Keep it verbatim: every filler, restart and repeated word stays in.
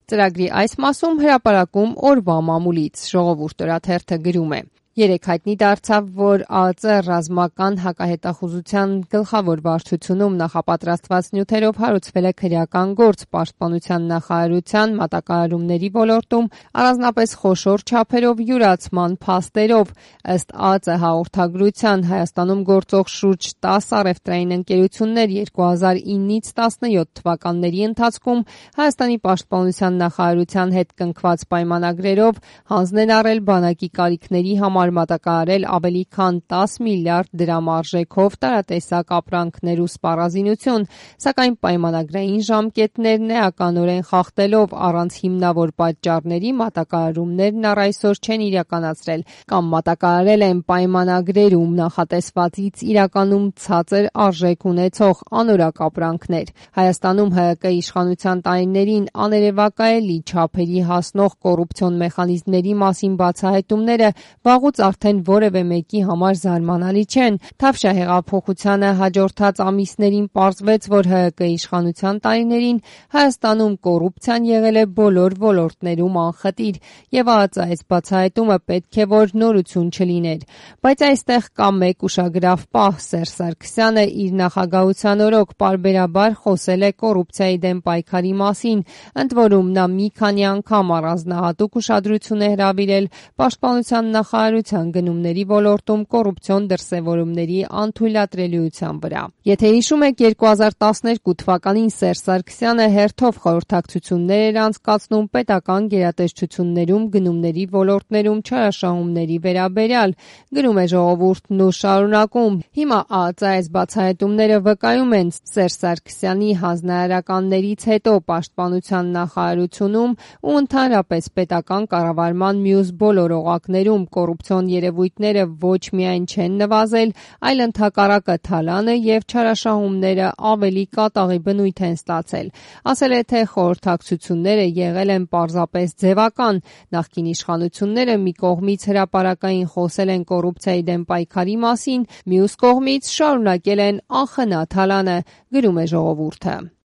Ծրագրի այս մասում հրապարակում օրվա մամուլից ժողովուրդ օրաթերթը գրում է. Երեկ հայտնի դարձավ, որ ԱԱԾ ռազմական հակահետախուզության գլխավոր վարչությունում նախապատրաստված նյութերով հարուցվել է քրեական գործ պաշտպանության նախարարության մատակարարումների ոլորտում առանձնապես խոշոր չափերով յուրացման փաստերով։ Ըստ ԱԱԾ հաղորդագրության Հայաստանում գործող շուրջ տասը առևտրային ընկերություններ երկու հազար իննից տասնյոթ թվականների ընթացքում Հայաստանի պաշտպանության նախարարության հետ կնքված պայմանագրերով հանձն են առել բանակի կարիքների համար մատակարարել ավելի քան տասը միլիարդ դրամ արժեքով տարատեսակ ապրանքներ ու սպառազինություն, սակայն պայմանագրային ժամկետներն էականորեն խախտելով առանց հիմնավոր պատճառների մատակարարումներն առ այսօր չեն իրականացրել կամ մատակարարել են պայմանագրերում նախատեսվածից իրականում ցածր արժեք ունեցող անորակ ապրանքներ։ Հայաստանում ՀՀԿ իշխանության տարիներին աներևակայելի չափերի հասնող կոռուպցիոն մեխանիզմների մասին բացահայտումները վաղուց արդեն որևէ մեկի համար զարմանալի չեն։ Թավշյա հեղափոխությանը հաջորդած ամիսներին պարզվեց, որ ՀՀԿ իշխանության տարիներին Հայաստանում կոռուպցիան եղել է բոլոր ոլորտներում անխտիր, եւ ԱԱԾ այս բացահայտումը պետք է որ նորություն չլիներ։ Բայց այստեղ կա մեկ ուշագրավ պահ. Սերժ Սարգսյանը իր նախագահության օրոք պարբերաբար խոսել է կոռուպցիայի դեմ պայքարի մասին, ընդ որում նա մի քանի անգամ առանձնահատուկ ուշադրություն է հրավիրել պաշտպանության նախարարության գնումների ոլորտում կոռուպցիոն դրսևորումների անթույլատրելիության վրա։ Եթե հիշում եք, երկու հազար տասներկու թվականին Սերժ Սարգսյանը հերթով խորհրդակցություններ էր անցկացնում պետական գերատեսչություններում գնումների ոլորտներում չարաշահումների վերաբերյալ, գրում է ժողովուրդն ու շարունակում. Հիմա ԱԱԾ այս բացահայտումները վկայում են Սերժ Սարգսյանի հանձնարարականներից հետո պաշտպանության նախարարությունում ու ընդհանրապես պետական կառավարման մյուս բոլոր օղակներում կոռուպցիոն երևույթները ոչ միայն չեն նվազել, այլ ընդհակառակը թալանը եւ չարաշահումները ավելի կատաղի բնույթ են ստացել։ Ասել է, թե խորհրդակցությունները եղել են պարզապես ձևական։ Նախկին իշխանությունները մի կողմից հրապարակային խոսել են կոռուպցիայի դեմ պայքարի մասին, մյուս կողմից շարունակել են անխնա թալանը, գրում է ժողովուրդը։